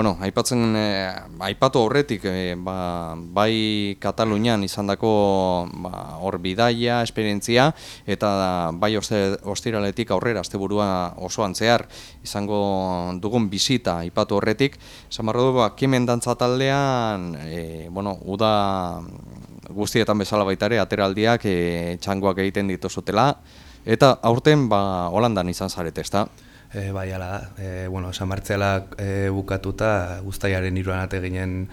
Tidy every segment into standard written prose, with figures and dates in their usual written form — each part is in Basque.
Bueno, aipatu aurretik, bai Katalunian izandako hor bidaia, esperientzia, eta bai ostiraletik aurrera, asteburua osoan zehar, izango dugun bisita aipatu horretik. Esan barra du, Kemen dantza taldean, uda guztietan bezala baita ere, ateraldiak txangoak egiten dituzutela, eta aurten Holandan izan zarete, ezta? Bai, ala da. San Martzialak bukatuta uztailaren 3 arte ginen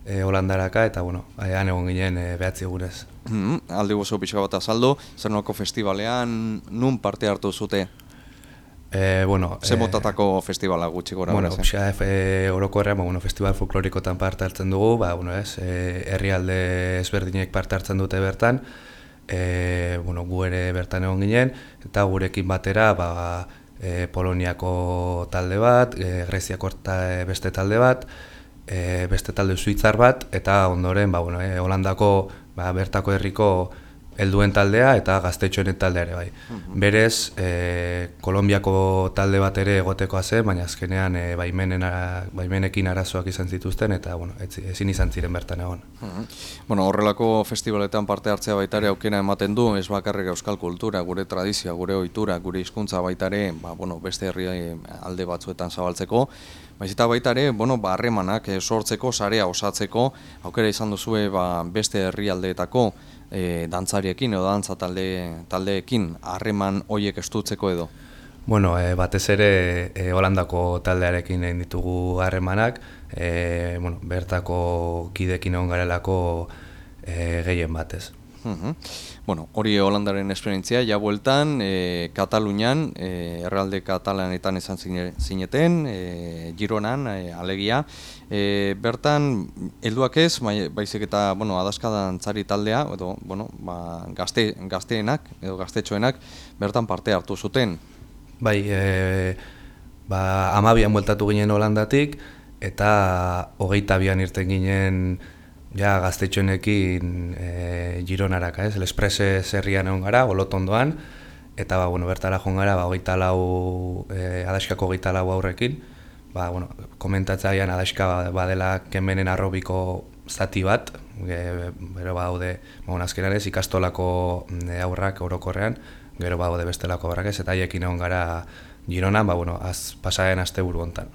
Holandaraka, eta han egon ginen 9 egunez. Aldi guzu pixka bat azaldu, zer nolako festivalean, nun parte hartu zute? Ze motatako festivala gutxi gora? Orokorrean, festival folklorikotan parte hartzen dugu, herrialde ezberdinek parte hartzen dute bertan, gu ere bertan egon ginen, eta gurekin batera, Poloniako talde bat, Greziako beste talde bat, beste talde suitzar bat, eta ondoren Holandako bertako herriko helduen taldea eta gaztetxoen taldea ere bai. Berez, Kolonbiako talde bat ere egotekoa zen, baina azkenean baimenekin arazoak izan zituzten, eta ezin izan ziren bertan egon. Horrelako festivaletan parte hartzea baita ere aukera ematen du, ez bakarrik euskal kultura, gure tradizioa, gure ohitura, gure hizkuntza baita ere, beste herri alde batzuetan zabaltzeko, eta baita ere, harremanak sortzeko, sarea osatzeko, aukera izan duzue beste herrialdeetako dantzariekin edo dantza taldeekin harreman hoiek estutzeko edo? Batez ere Holandako taldearekin egin ditugu harremanak, bertako kidekin egon garelako gehien batez. Hori Holandaren esperientzia, ja bueltan, Katalunian, errealde katalanetan izan zineten, Gironan, alegia. Bertan, helduak ez, baizik eta adaska dantzari taldea, edo gazteenak, edo gaztetxoenak, bertan parte hartu zuten. Bai, 12an bueltatu ginen Holandatik, eta 22an irten ginen gaztetxoenekin Gironaraka, Lespreses herrian egon gara, Olotondoan, eta bertara joan gara 24 adaskako 24 aurrekin, komentatzailean adaska badela Kemenen arrobiko zati bat, gero badaude azkenan ez ikastolako aurrak orokorrean, gero badaude bestelako aurrak ez, eta haiekin egon gara Gironan, pasaren asteburu hontan.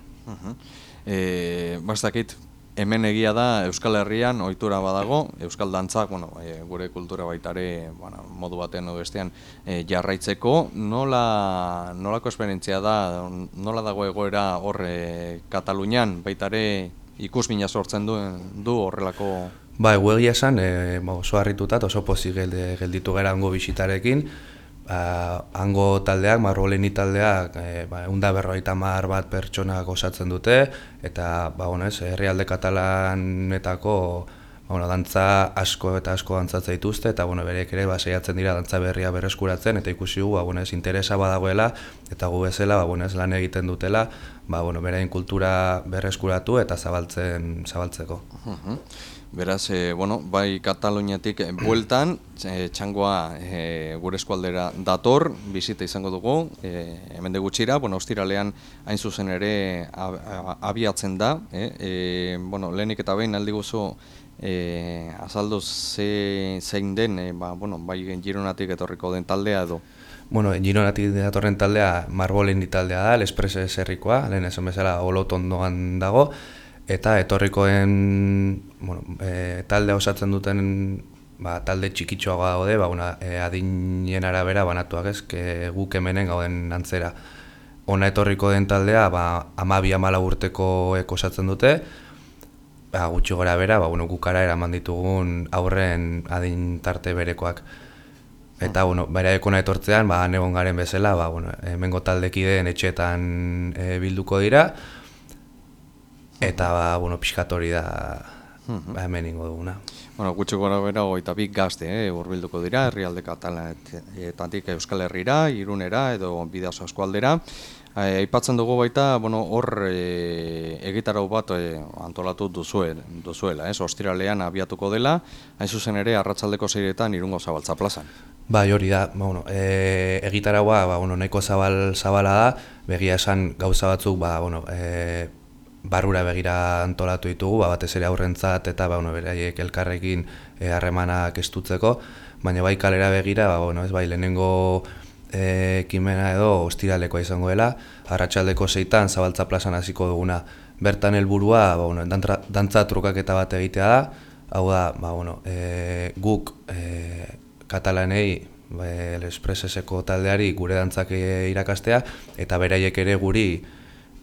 Bastakit, hemen egia da Euskal Herrian ohitura badago, euskal dantzak, gure kultura baita ere modu batean edo bestean jarraitzeko. Nolako esperientzia da, nola dago egoera hor Katalunian, baita ere ikusmina sortzen du horrelako? Egia esan, oso harrituta, oso pozik gelditu gara hango bisitarekin. Hango taldeak, Margoleni taldeak, 150 bat pertsonak osatzen dute, eta herrialde katalanetako dantza asko eta asko dantzatzen dituzte, eta bereek ere saiatzen dira dantza berria berreskuratzen, eta ikusi gu interesa badagoela, eta gu bezala lan egiten dutela, beraien kultura berreskuratu eta zabaltzeko. Beraz, bai Kataluniatik bueltan, txangoa gure eskualdera dator, bizita izango dugu, hemen de gutxira, ostiralean hain zuzen ere abiatzen da. Lehenik eta behin aldi guzu azaldu zein den, bai Gironatik etorriko den taldea edo? Gironatik datorren taldea Margoleni taldea da, Lespreses herrikoa, lehen esan bezala Olotondoan dago, eta etorrikoen taldea osatzen duten talde txikitxoagoa daude, adinen arabera banatuak ez, guk hemenen gauden antzera. Ona etorriko den taldea 12-14 urtekoek osatzen dute, gutxi gora bera, gukara eraman ditugun aurren adin tarte berekoak. Eta beraek ona etortzean, egon garen bezala, hemengo taldekideen etxeetan bilduko dira, eta pixkat hori da hemen ingo duguna. Gutxi gora bera 22 gazte hurbilduko dira, herrialde katalanetatik Euskal Herrira, Irunera edo Bidasoa eskualdera. Aipatzen dugu baita, hor egitarau bat antolatu duzuela, ostiralean abiatuko dela, hain zuzen ere arratsaldeko 6etan Irungo Zabaltza plazan. Hori da, egitaraua nahiko zabala da, begia esan gauza batzuk barrura begira antolatu ditugu, batez ere aurrentzat eta beraiek elkarrekin harremanak estutzeko, baina bai kalera begira, ez bai lehenengo ekimena edo ostiralekoa izango dela, arratsaldeko 6 Zabaltza plazan hasiko duguna. Bertan helburua dantza trukaketa bat egitea da, hau da, guk katalanei, El Expresseseko taldeari gure dantzak irakastea, eta beraiek ere guri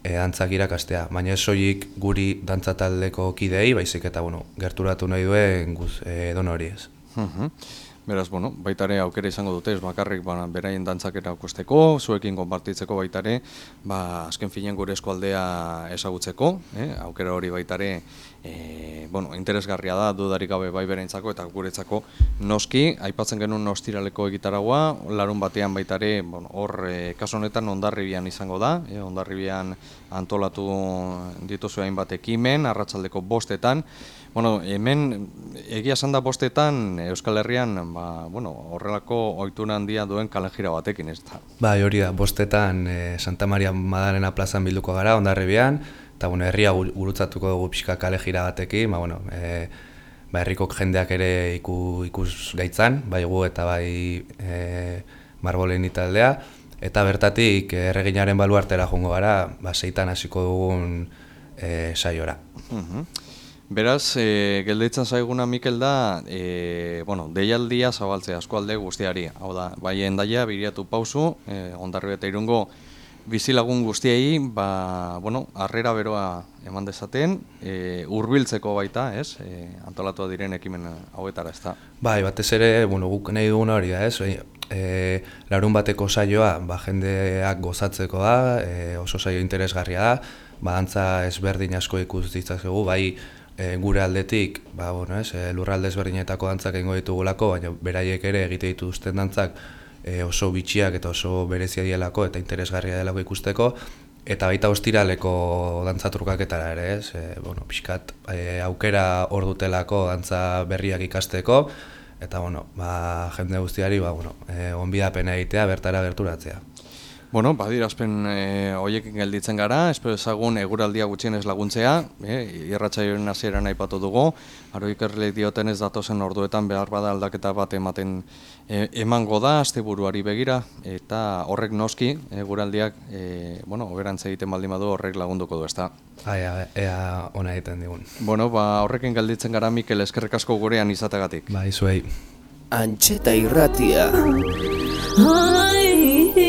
dantzak irakastea. Baina ez soilik guri dantza taldeko kideei, baizik eta gerturatu nahi duen edon hori ez. Beraz, baitare aukera izango dute, ez bakarrik beraien dantzak erakusteko, zuekin konpartitzeko baitare, azken finean gure eskualdea ezagutzeko, aukera hori baitare, interesgarria da, dudarik gabe bai bereintzako eta guretzako noski, aipatzen genuen ostiraleko egitaragua, larun batean baitare, hor, kasu honetan Hondarribian izango da, Hondarribian antolatu dituzu hainbat ekimen, arratsaldeko 5:00, hemen egia esan da 5:00 Euskal Herrian horrelako ohitura handia duen kalejira batekin, ez da? Bai, hori da, 5:00 Santa Maria Madalena plazan bilduko gara, Hondarribian, eta herria gurutzatuko dugu pixka kalejira batekin, herriko jendeak ere ikus gaitzan, bai gu eta bai Marbolen taldea, eta bertatik erreginaren baluartera joango gara, 6 hasiko dugun saiora. Beraz, gelditzen zaiguna Mikel da, deialdia zabaltzea eskualde guztiari. Hau da, bai Hendaia, Biriatu, Pausu, Hondarribia eta Irungo bizilagun guztiei, harrera beroa eman dezaten, hurbiltzeko baita, ez? Antolatua diren ekimen hauetara, ez da? Bai, batez ere, guk nahi duguna hori da, ez? Larun bateko saioa, jendeak gozatzeko da, oso saio interesgarria da, dantza ezberdin asko ikus ditzakegu, bai gure aldetik, lurralde ezberdinetako dantzak egingo ditugulako, baina beraiek ere egite dituzten dantzak oso bitxiak eta oso berezia dielako eta interesgarria delako ikusteko, eta baita ostiraleko dantza trukaketara ere, ez? Pixkat aukera hor dutelako dantza berriak ikasteko, eta jende guztiari onbidapena egitea, bertara gerturatzea. Badirazpen horiekin gelditzen gara, espero ezagun eguraldia gutxienez laguntzea, irratsaioaren hasieran aipatu dugu, aro ikerleek dioten ez datozen orduetan behar bada aldaketa bat emango da, asteburuari begira, eta horrek noski, eguraldiak, oberantz egiten baldin badu horrek lagunduko du, ezta? Ea ona egiten digun. Horrekin gelditzen gara, Mikel, eskerrik asko gurean izategatik. Zuei. Antxeta irratia.